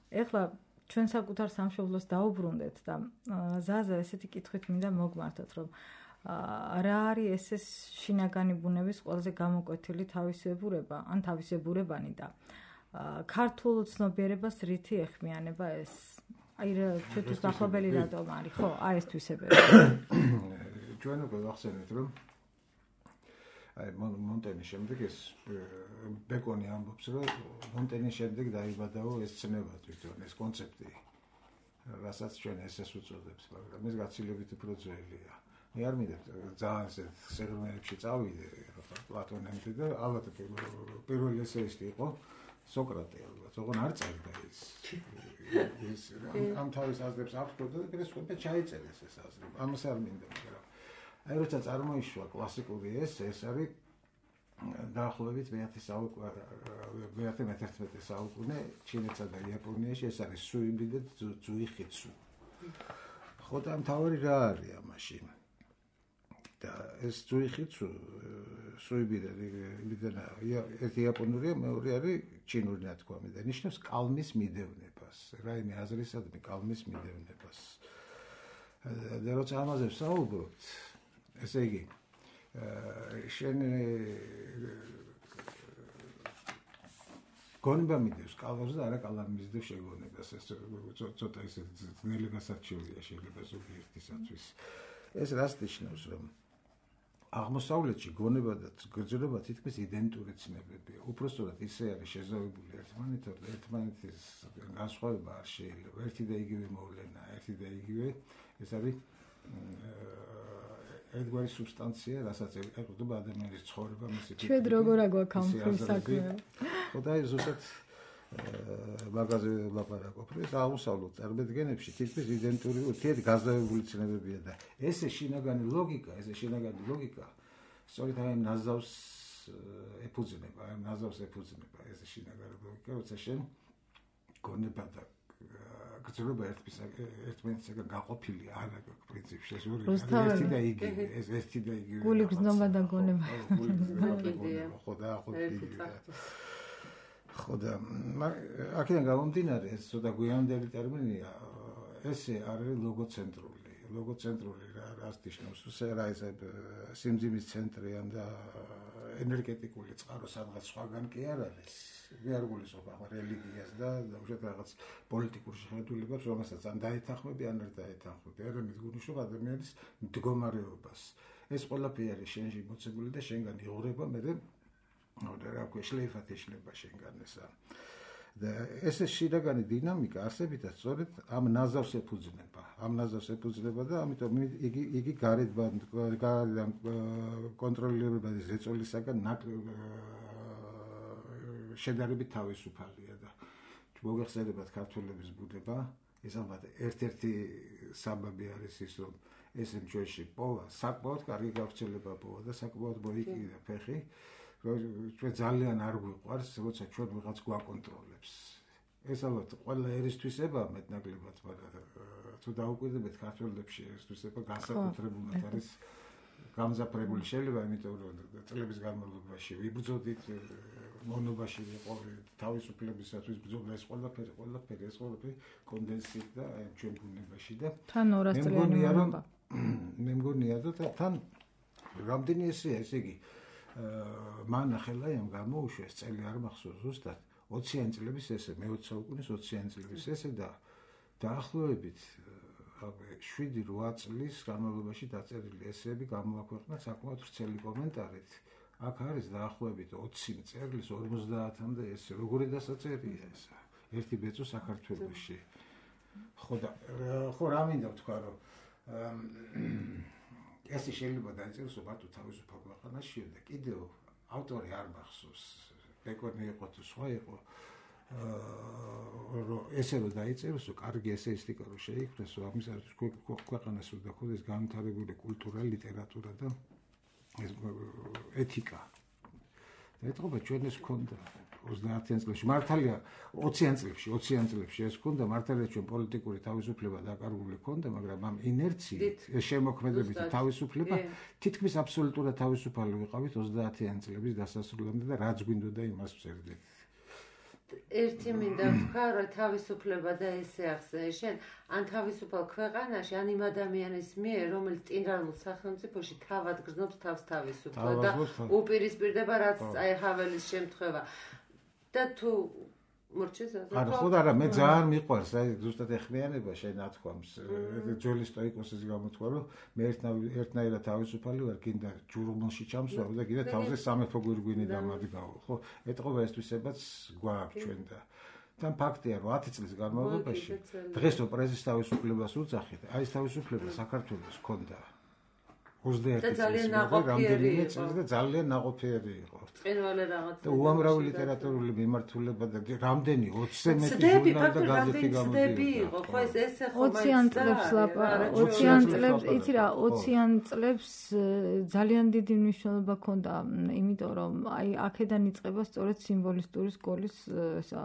ეხლა ჩვენ საკუთარ სამშობლოს დაუბრუნდეთ და ზაზა ესეთი კითხვით მინდა მოგმართოთ, რომ რა არის ეს შინაგანი ბუნების ყველაზე გამოკვეთილი თავისებურება, ან თავისებურებანი და ქართულ ცნობიერებას რითი ეხმიანება ეს? აი რა ჩვენთვის დაახლოებელი რატომ არის, ხო? აი ეს თვისებები. ჩვენ უკვე ვახსენეთ, რომ აი მონტენის შემდეგ ეს ბეკონი ამბობს, რომ მონტენის შემდეგ დაიბადაო ეს ცნება თვითონ, ეს კონცეფტი, რასაც ჩვენ ესეს უწოდებს, მაგრამ ეს გაცილებით უფრო ძველია. მე არ მინდა ძალიან ეს სეგმენტებში წავიდე, პლატონემდე და ალბათ პირველი ესეისტი იყო სოკრატე, ალბათ, ოღონ არ წერდა ის. ის ამ თავის აზრებს აღწევდა და პირესვე ჩაიწერეს ეს აზრები. ამას არ მინდა, მაგრამ აი როცა წარმოიშვა კლასიკური ეს, ეს არის დაახლოებით მეათე მეთერთმეტე საუკუნე ჩინეთსა და იაპონიაში, ეს არის სუიბი და ძუიხიცუ. ხო და მთავარი რა არის ამაში? და ეს ძუიხიცუ, სუიბი და ერთი იაპონურია, მეორე არის ჩინური ნათქვამი და ნიშნავს კალმის მიდევნებას, რაიმე აზრისადმი კალმის მიდევნებას. და როცა ამაზე ვსაუბრობთ, ესე იგი, შენ გონება მიდევს კალმს და არა კალამი მისდევს შეგონებას, ეს ცოტა ისე ძნელი გასარჩევია შეიძლება ზოგიერთისათვის. ეს რას ნიშნავს, რომ აღმოსავლეთში გონება და გრძნობა თითქმის იდენტური ცნებებია. უпростоრად ისე არის შეზავებული ერთმანეთთან და ერთმანეთის განსხვავება არ შეიძლება. ერთი და იგივე მოვლენა, ერთი და იგივე ეს არის ერთგვარი სუბსტანცია, რასაც ეკუთვნება ადამიანის ცხოვრება, მისი ფიქრი. ჩვენ როგორ აგვაქვს ამ საქმე? ხო და ეს ზუსტად მაგაზე ვლაპარაკობ, ეს აღმოსავლეთ წარმოდგენებში თითქმის იდენტური, ურთიერთ გაზავებული ცნებებია და ესე შინაგანი ლოგიკა, ესე შინაგანი ლოგიკა სწორედ აი ნაზავს ეფუძნება, აი ნაზავს ეფუძნება ესე შინაგანი ლოგიკა, როცა შენ გონება და გრძნობა ერთმანეთისგან გაყოფილი არ აქვს პრინციპში, ეს ორი ერთი და იგივე, ეს ერთი და იგივე. გული გრძნობა და გონება. ხო და ხო იგივე. ხო და აქედან გამომდინარე, ეს ცოტა გვიანდელი ტერმინია, ესე არის ლოგოცენტრული. ლოგოცენტრული რას ნიშნავს? რა ეს სიმძიმის ცენტრიან და ენერგეტიკული წყარო სადღაც სხვაგან კი არ არის. მე არ გულისხმობ ახლა რელიგიას და უშუალოდ რაღაც პოლიტიკურ შეხედულებებს, რომელსაც ან დაეთანხმები, ან არ დაეთანხმები. არამედ გულისხმობ ადამიანის მდგომარეობას. ეს ყველაფერი არის შენში მოცემული და შენგან იღურება, მე რა ქვია, შლეიფად ეშლება შენგან ესა. და ეს შინაგანი დინამიკა არსებითად სწორედ ამ ნაზავს ეფუძნება. ამ ნაზავს ეფუძნება და ამიტომ იგი იგი გარეთ გარედან კონტროლირებადი ზეწოლისაგან შედარებით თავისუფალია და მოგეხსენებათ ქართველების ბუნება, ეს ალბათ ერთ-ერთი საბაბი არის ის, რომ ეს ჩვენში პოვა საკმაოდ კარგი გავრცელება პოვა და საკმაოდ მოიკიდა ფეხი. ჩვენ ძალიან არ გვიყვარს, როცა ჩვენ ვიღაც გვაკონტროლებს. ეს ალბათ ყველა ერისთვისება მეტნაკლებად, მაგრამ თუ დაუკვირდებით ქართველებში ერისთვისება განსაკუთრებულად არის გამზაფრებული შეიძლება, იმიტომ რომ წლების განმავლობაში ვიბრძოდით, მონობაში ვიყავი თავისუფლებისათვის ბრძოლა, ეს ყველაფერი, ყველაფერი, ეს ყველაფერი კონდენსით და ჩვენ ბუნებაში და თან ორას წლიანი მონება. მე მგონია და თან რამდენი ესეა, ესე იგი მან ახელაიამ გამოუშვეს წელი არ მახსოვს ზუსტად ოციანი წლების ესე მეოცე საუკუნის ოციანი წლების ესე და დაახლოებით შვიდი რვა წლის განმავლობაში დაწერილი ესეები გამოაქვეყნა საკმაოდ ვრცელი კომენტარით. აქ არის დაახლოებით ოცი მწერლის ორმოცდაათამდე ესე. როგორი დასაწერია ეს? ერთი ბეწო საქართველოში. ხო და ხო რა მინდა ვთქვა რომ ესე შეიძლება დაიწეროს მარტო თავისუფალ ქვეყანაში და კიდევ ავტორი არ მახსოვს ბეკონი იყო თუ სხვა იყო რომ ესე რომ დაიწეროს კარგი ესეისტიკა რომ შეიქმნას ამისათვის ქვეყანას უნდა ქონდეს განვითარებული კულტურა, ლიტერატურა და ეთიკა. და ეთყობა ჩვენ ეს ქონდა ოცდაათიან წლებში მართალია ოციან წლებში ოციან წლებში ეს ქონდა მართალია ჩვენ პოლიტიკური თავისუფლება დაკარგული ქონდა მაგრამ ამ ინერციით ეს შემოქმედებითი თავისუფლება თითქმის აბსოლუტურად თავისუფალი ვიყავით ოცდაათიან წლების დასასრულამდე და რაც გვინდოდა იმას ვწერდით. ერთი მინდა ვთქვა რომ თავისუფლება და ესე ახსენე შენ ან თავისუფალ ქვეყანაში ან იმ ადამიანის მიერ რომელიც ტირანულ სახელმწიფოში თავად გრძნობს თავს თავისუფლად და უპირისპირდება რაც აი ჰაველის შემთხვევა და თუ მორჩეს არა ხო და არა მე ძალიან მიყვარს აი ზუსტად ეხმიანება შენ ათქვამს ძველი სტოიკოსის გამოთქვა რომ მე ერთნაირად თავისუფალი ვარ კიდე ჯურმალში ჩამსვავ და კიდე თავზე სამეფო გვირგვინი დამადგავ ხო ეთყობა ესთვისებაც გვაქვს ჩვენ და თან ფაქტია რომ ათი წლის განმავლობაში დღეს რო პრესის თავისუფლებას უძახით აი ეს თავისუფლება საქართველოს ჰქონდა ოცდაერთი ძალიან ნაყოფიერი იყო და ძალიან ნაყოფიერი იყო. წინვალე რაღაცა. და უამრავი ლიტერატურული მიმართულება და რამდენი ოცზე მეტი ჟურნალი და გაზეთი გამოდიოდა. ხო ეს ესე ხომ ოციან წლებს ოციან წლებს იცი რა ოციან წლებს ძალიან დიდი მნიშვნელობა ჰქონდა, იმიტომ რომ აი აქედან იწყება სწორედ სიმბოლისტური სკოლის ესა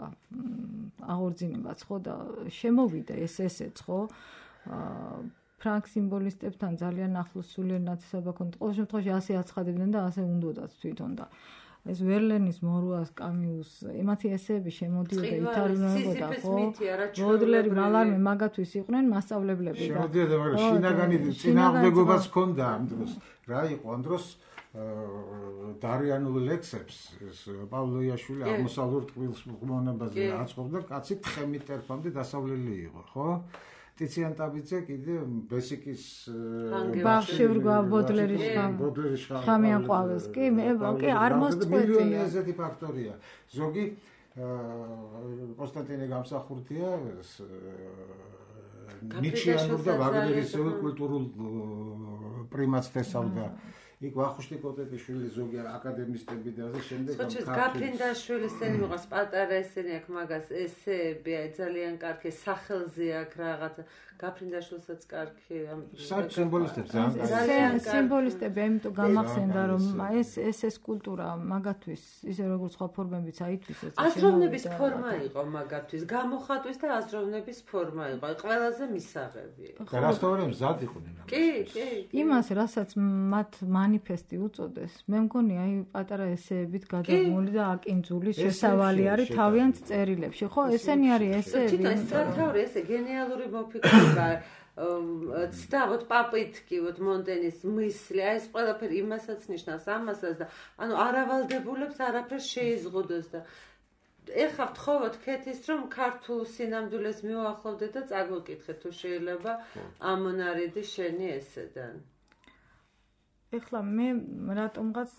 აღორძინებაც ხო და შემოვიდა ეს ესეც ხო ფრანგ სიმბოლისტებთან ძალიან ახლოს სულიერ ნათესაობა ჰქონდა. ყოველ შემთხვევაში ასე აცხადებდნენ და ასე უნდოდათ თვითონ და ეს ვერლენის, მორუას, კამიუს, ემათი ესეები შემოდიოდა ითარგმნებოდა ხო? ბოდლერი, მალარმე მაგათვის იყვნენ მასწავლებლები და შემოდიოდა, მაგრამ შინაგანი წინააღმდეგობაც ჰქონდა ამ დროს. რა იყო ამ დროს დარიანულ ლექსებს ეს პავლოიაშვილი აღმოსავლურ ტყუილს მონაბაზე აწყობდა, კაცი თხემით ტერფამდე დასავლელი იყო, ხო? ტიციან ტაბიძე კიდე ბესიკის ბაღში ვრგვა ბოდლერის ხამიან ყვავილს კი მე კი არ მოსწყვეტია ესეთი ფაქტორია ზოგი კონსტანტინე გამსახურდია ნიჩიანურ და ვაგნერის კულტურულ პრიმატს თესავდა იქ ვახუშტი კოტეტიშვილი ზოგი აკადემისტები და ასე შემდეგ ამ ქართლის გაფრინდაშვილის ესენი მოყავს პატარა ესენი აქ მაგას ესეები აი ძალიან კარგი სახელზე აქ რაღაც გაფრინდაშვილსაც კარგი ამ სიმბოლისტებს ძალიან სიმბოლისტები ამიტომ გამახსენდა რომ ეს ეს ეს კულტურა მაგათვის ისე როგორც სხვა ფორმებიც აითვისეს აზროვნების ფორმა იყო მაგათვის გამოხატვის და აზროვნების ფორმა იყო აი ყველაზე მისაღები და რასტოვანი მზად იყვნენ კი კი იმას რასაც მათ მანიფესტი უწოდეს მე მგონი აი პატარა ესეებით გადაღმული და აკინძული შესავალი არის თავიანთ წერილებში ხო ესენი არის ესეები თვითონ სათავე ესე გენიალური მოფიქრება ცდავთ პაპიტკი ვთ მონტენის მისლი აი ეს ყველაფერი იმასაც ნიშნავს ამასაც და ანუ არავალდებულებს არაფერს შეიზღუდოს და ეხლა ვთხოვოთ ქეთის რომ ქართულ სინამდვილეს მივახლოვდეთ და წაგვიკითხეთ თუ შეიძლება ამონარიდი შენი ესედან ეხლა მე რატომღაც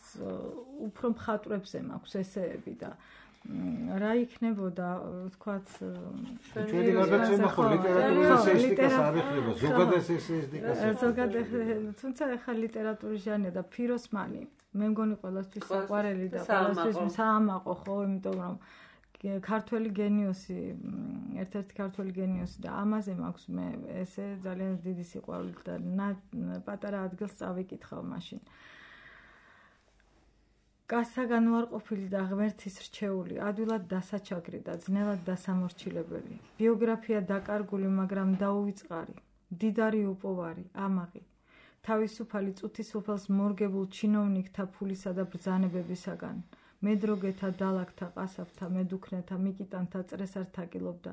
უფრო მხატვრებზე მაქვს ესეები და რა იქნებოდა თქვათ ჩვენი გადაცემა ხო ლიტერატურის ესეისტიკას არ ეხება ზოგადად ესეისტიკას ზოგადად თუმცა ეხა ლიტერატურის ჟანრია და ფიროსმანი მე მგონი ყველასთვის საყვარელი და ყველასთვის საამაყო ხო იმიტომ რომ ქართველი გენიოსი ერთ-ერთი ქართველი გენიოსი და ამაზე მაქვს მე ესე ძალიან დიდი სიყვარული და პატარა ადგილს წავიკითხავ მაშინ კაცსაგან უარყოფილი და ღმერთის რჩეული, ადვილად დასაჩაგრი და ძნელად დასამორჩილებელი. ბიოგრაფია დაკარგული, მაგრამ დაუვიწყარი, დიდარი უპოვარი, ამაღი. თავისუფალი წუთისუფალს მორგებულ ჩინოვნიკთა ფულისა და ბრძანებებისაგან. მედროგეთა, დალაგთა, ყასაბთა, მედუქნეთა, მიკიტანთა წრესად თაკილობდა,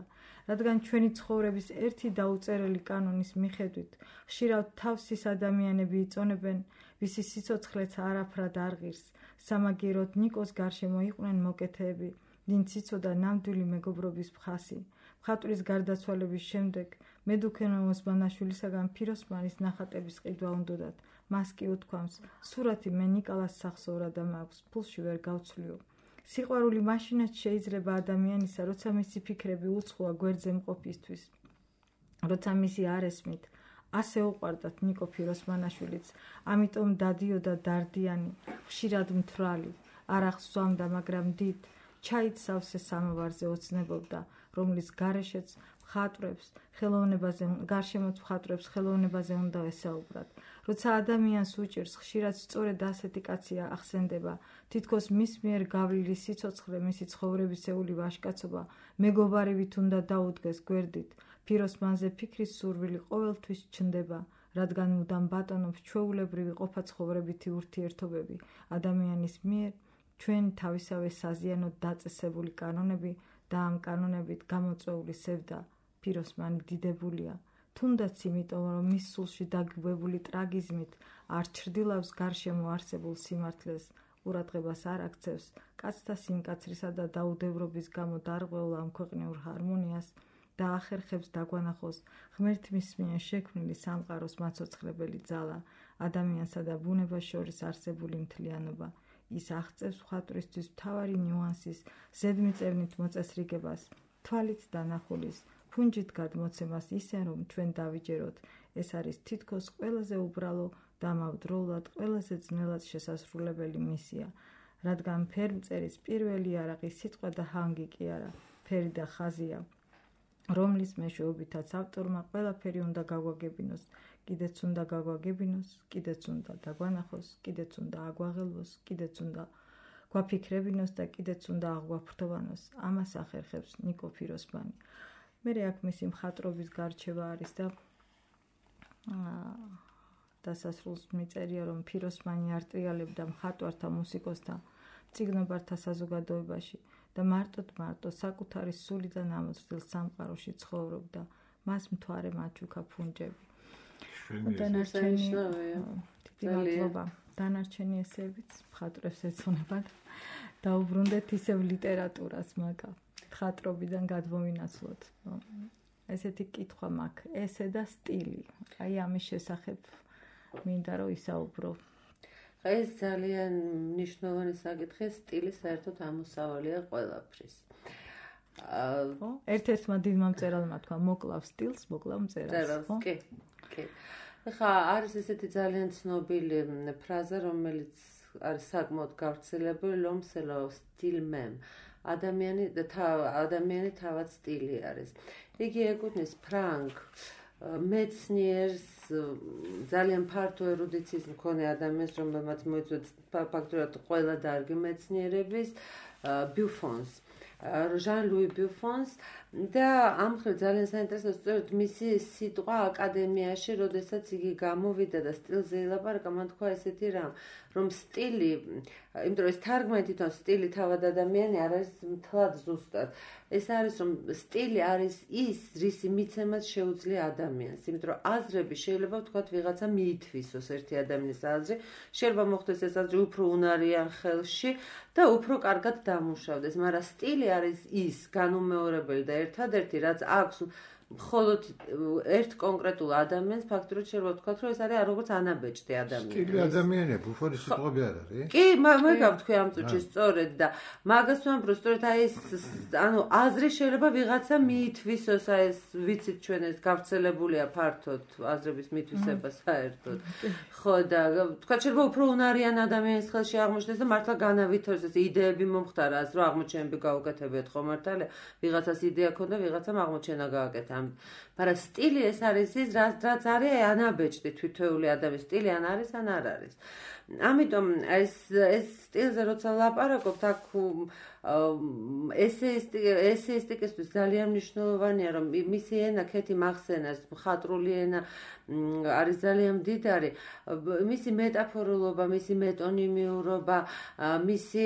რადგან ჩვენი ცხოვრების ერთი დაუწერელი კანონის მიხედვით, ხშირად თავსის ადამიანები იწონებენ, ვისი სიცოცხლეც არაფრად არ ღირს. სამაგიეროდ ნიკოს გარშემო იყვნენ მოკეთეები, ვინც იცოდა ნამდვილი მეგობრობის მხასი. მხატვრის გარდაცვალების შემდეგ მედუქნე ოსმანაშვილისაგან ფიროსმანის ნახატების ყიდვა უნდოდათ. მას კი უთქვამს, სურათი მე ნიკალას სახსოვრა და მაქვს, ფულში ვერ გავცვლიო. სიყვარული მაშინაც შეიძლება ადამიანისა, როცა მისი ფიქრები უცხოა გვერდზე მყოფისთვის. როცა მისი არ ესმით, ასე უყვარდათ ნიკო ფიროსმანაშვილიც, ამიტომ დადიოდა დარდიანი, ხშირად მთვრალი, არ ახსვამდა, მაგრამ დიდ ჩაით სავსე სამოვარზე ოცნებობდა, რომლის გარეშეც მხატვრებს ხელოვნებაზე, გარშემოც მხატვრებს ხელოვნებაზე უნდა ესაუბრათ. როცა ადამიანს უჭირს, ხშირად სწორედ ასეთი კაცია ახსენდება, თითქოს მის მიერ გავლილი სიცოცხლე, მისი ცხოვრებისეული ვაჟკაცობა, მეგობარივით უნდა დაუდგეს გვერდით. ფიროსმანზე ფიქრის სურვილი ყოველთვის ჩნდება, რადგან მუდამ ბატონობს ჩვეულებრივი ყოფაცხოვრებითი ურთიერთობები ადამიანის მიერ, ჩვენ თავისავე საზიანოდ დაწესებული კანონები და ამ კანონებით გამოწვეული სევდა. ფიროსმანი დიდებულია, თუნდაც იმიტომ, რომ მის სულში დაგბებული ტრაგიზმით არ ჩრდილავს გარშემო არსებულ სიმართლეს, ყურადღებას არ აქცევს კაცთა სიმკაცრისა და დაუდევრობის გამო დარღვეულ ამ ქვეყნიურ ჰარმონიას და ახერხებს დაგვანახოს ღმერთის მიერ შექმნილი სამყაროს მაცოცხლებელი ძალა, ადამიანსა და ბუნებას შორის არსებული მთლიანობა. ის აღწევს მხატვრისთვის მთავარი ნიუანსის ზედმიწევნით მოწესრიგებას, თვალით დანახulis, ფუნჯით გადმოცემას ისე, რომ ჩვენ დავიჯეროთ, ეს არის თითქოს ყველაზე უბრალო და ამავდროულად ყველაზე ძნელად შესასრულებელი მისია, რადგან ფერმწერის პირველი არაღი სიტყვა და ჰანგი კი არა, ფერი და ხაზია, რომლის მეშვეობითაც ავტორმა ყველაფერი უნდა გაგვაგებინოს, კიდეც უნდა გაგვაგებინოს, კიდეც უნდა დაგვანახოს, კიდეც უნდა აგვაღელვოს, კიდეც უნდა გვაფიქრებინოს და კიდეც უნდა აღვაფრთოვანოს. ამას ახერხებს ნიკო ფიროსმანი. მე აქ მისი მხატვრობის გარჩევა არის და დასასრულს მიწერია, რომ ფიროსმანი არტრიალებდა მხატვართა, მუსიკოსთა, მწიგნობართა საზოგადოებაში და მარტოდ მარტო საკუთარი სულიდან ამოწრდილ სამყაროში ცხოვრობდა. მას მთვარე მაჩუქა ფუნჯები. დანარჩენი დიდი მადლობა. დანარჩენი ესეებიც მხატვრებს ეცნებათ. დაუბრუნდეთ ისევ ლიტერატურას, მაგა მხატვრობიდან გადმოვინაცვლოთ. ესეთი კითხვა მაქვს, ესე და სტილი. აი ამის შესახებ მინდა რომ ისაუბრო. ეს ძალიან მნიშვნელოვანი საკითხია, სტილი საერთოდ ამოსავალია ყველაფრის. ხო? ერთ-ერთმა დიდმა მწერალმა თქვა, მოკლავ სტილს, მოკლავ მწერალს, ხო? კი, კი. ხა არის ესეთი ძალიან ცნობილი ფრაზა, რომელიც არის საკმაოდ გავრცელებული, ლომსელო სტილ მემ. ადამიანი ადამიანი თავად სტილი არის. იგი ეკუთვნის ფრანკ მეცნიერს, ძალიან ფართო ერუდიციის მქონე ადამიანს, რომელმაც მოიწვია ფაქტურად ყველა დარგი მეცნიერების, ბიუფონს, ჟან ლუი ბიუფონს და ამ მხრივ ძალიან საინტერესოა სწორედ მისი სიტყვა აკადემიაში, როდესაც იგი გამოვიდა და სტილზე ილაპარაკა, მან თქვა ესეთი რამ, რომ სტილი, იმიტომ რომ ეს თარგმანი თვითონ სტილი თავად ადამიანი არ არის მთლად ზუსტად. ეს არის რომ სტილი არის ის, რისი მიცემაც შეუძლია ადამიანს, იმიტომ რომ აზრები შეიძლება ვთქვათ ვიღაცა მიითვისოს ერთი ადამიანის აზრი, შეიძლება მოხდეს ეს აზრი უფრო უნარიან ხელში და უფრო კარგად დამუშავდეს, მაგრამ სტილი არის ის განუმეორებელი და ერთადერთი, რაც აქვს მხოლოდ ერთ კონკრეტულ ადამიანს ფაქტურად შეიძლება ვთქვათ, რომ ეს არის როგორც ანაბეჭდი ადამიანი. სტილი ადამიანები, უხორი სიტყვები არ არის? კი, მე გავთქვი ამ წუთში სწორედ და მაგას ვამბობ, რომ სწორედ აი ეს ანუ აზრი შეიძლება ვიღაცა მიითვისოს, აი ეს ვიცით ჩვენ ეს გავრცელებულია ფართოდ აზრების მითვისება საერთოდ. ხო და თქვა შეიძლება უფრო უნარიან ადამიანის ხელში აღმოჩნდეს და მართლა განავითაროს ეს იდეები მომხდარა, ასე რომ აღმოჩენები გაუკეთებიათ ხო მართალია? ვიღაცას იდეა ქონდა, ვიღაცამ აღმოჩენა გააკეთა. მაგრამ სტილი ეს არის ის, რაც რაც არის ანაბეჭდი თვითეული ადამიანის სტილი ან არის ან არ არის. ამიტომ ეს ეს სტილზე როცა ვლაპარაკობთ, აქ ესეისტიკისთვის ძალიან მნიშვნელოვანია, რომ მისი ენა ქეთი მახსენას, მხატვრული ენა არის ძალიან მდიდარი, მისი მეტაფორულობა, მისი მეტონიმიურობა, მისი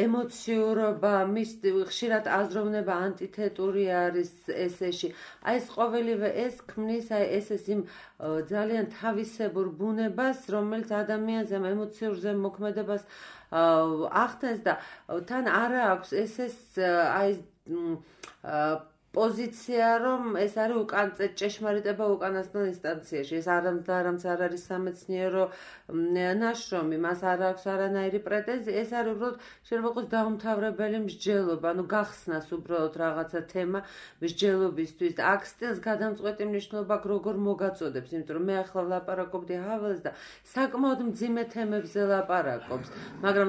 ემოციურობა, მის ხშირად აზროვნება ანტითეტური არის ესეში. აი ეს ყოველივე ეს ქმნის აი ესეს იმ ძალიან თავისებურ ბუნებას, რომელიც ადამიანს ამ ემოციურ ზემოქმედებას ახდენს და თან არა აქვს ესეს აი პოზიცია, რომ ეს არის უკან ჭეშმარიტება უკანასკნელ ინსტანციაში. ეს არამც არ არის სამეცნიერო ნაშრომი, მას არ აქვს არანაირი პრეტენზია, ეს არის უბრალოდ შეიძლება იყოს დაუმთავრებელი მსჯელობა, ანუ გახსნას უბრალოდ რაღაცა თემა მსჯელობისთვის და აქ სტილს გადამწყვეტი მნიშვნელობა როგორ მოგაწოდებს, იმიტომ რომ მე ახლა ვლაპარაკობდი ჰაველს და საკმაოდ მძიმე თემებზე ლაპარაკობს, მაგრამ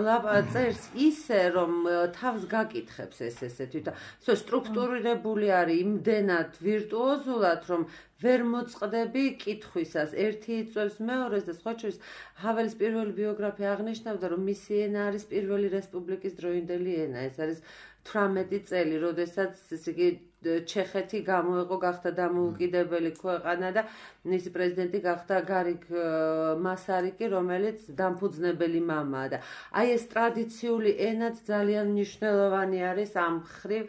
წერს ისე, რომ თავს გაკითხებს ეს ესეთი და სტრუქტურირებული არის იმდენად ვირტუოზულად, რომ ვერ მოწყდები კითხვისას, ერთი იწვევს მეორეს და სხვა შორის ჰაველის პირველი ბიოგრაფია აღნიშნავდა, რომ მისი ენა არის პირველი რესპუბლიკის დროინდელი ენა, ეს არის თვრამეტი წელი, როდესაც ესე იგი ჩეხეთი გამოეყო, გახდა დამოუკიდებელი ქვეყანა და მისი პრეზიდენტი გახდა გარიგ მასარიკი, რომელიც დამფუძნებელი მამაა და აი ეს ტრადიციული ენაც ძალიან მნიშვნელოვანი არის ამ მხრივ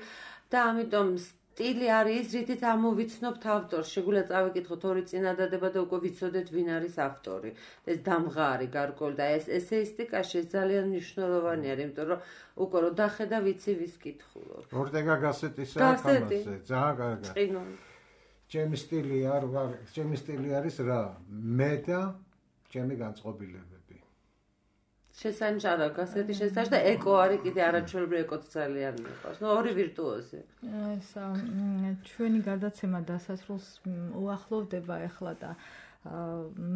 და ამიტომ სტილი არის ის, რითიც ამოვიცნობთ ავტორს. შეგვიძლია წავიკითხოთ ორი წინადადება და უკვე ვიცოდეთ, ვინ არის ავტორი. ეს დამღარი გარკვეული და ეს ესეისტიკაში ეს ძალიან მნიშვნელოვანი არის, იმიტომ რომ უკვე რო დახედა ვიცი ვის კითხულობ. ორტეგა გასეტისა ამაზე, ძალიან კარგი. წინონ. ჩემი სტილი არ ვარ, ჩემი სტილი არის რა? მე და ჩემი განწყობილებები. შესანჯარა გასეთი შესანიშ და ეკო არის კიდე არაჩვეულებრივი ეკოც ძალიან მიყვარს. ნუ ორი ვირტუოზი. ეს ჩვენი გადაცემა დასასრულს უახლოვდება ახლა და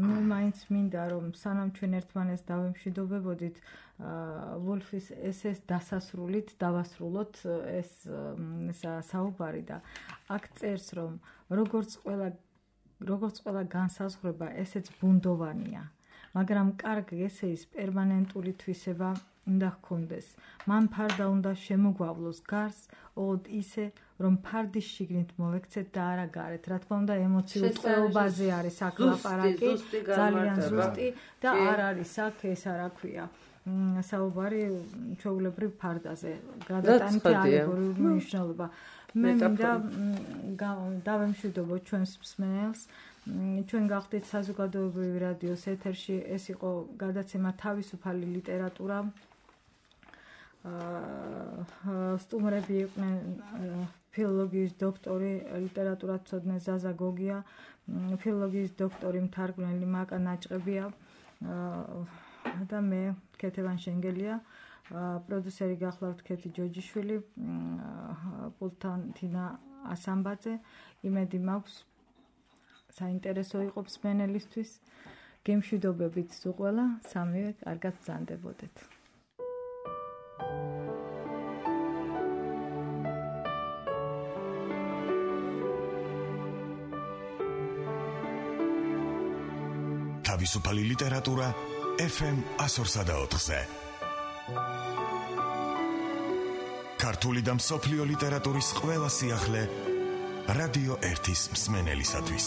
მე მაინც მინდა რომ სანამ ჩვენ ერთმანეთს დავემშვიდობებოდით ვოლფის ესეს დასასრულით დავასრულოთ ეს საუბარი და აქ წერს რომ როგორც ყველა როგორც ყველა განსაზღვრება ესეც ბუნდოვანია. მაგრამ კარგ ესეის პერმანენტული თვისება უნდა ჰქონდეს. მან ფარდა უნდა შემოგვავლოს გარს, ოღონდ ისე, რომ ფარდის შიგნით მოვექცეთ და არა გარეთ. რა თქმა უნდა, ემოციურ წყობაზე არის აქ ლაპარაკი, ძალიან ზუსტი და არ არის აქ ეს რა ქვია. საუბარი ჩვეულებრივ ფარდაზე. გადატანითი ალეგორიული მნიშვნელობა. მე მინდა დავემშვიდობო ჩვენს მსმენელს. ჩვენ გავხდით საზოგადოებრივი რადიოს ეთერში, ეს იყო გადაცემა თავისუფალი ლიტერატურა. სტუმრები იყვნენ ფილოლოგიის დოქტორი, ლიტერატურათმცოდნე ზაზა გოგია, ფილოლოგიის დოქტორი მთარგმნელი მაკა ნაჭყებია და მე ქეთევან შენგელია, პროდიუსერი გახლავთ ქეთი ჯოჯიშვილი, პულტთან თინა ასამბაძე. იმედი მაქვს საინტერესო იყო მსმენელისთვის. გემშვიდობებით სულ, სამივე კარგად ბრძანდებოდეთ. თავისუფალი ლიტერატურა ეფ ემ ასორსა და ოთხზე. ქართული და მსოფლიო ლიტერატურის ყველა სიახლე რადიო ერთის მსმენელისათვის.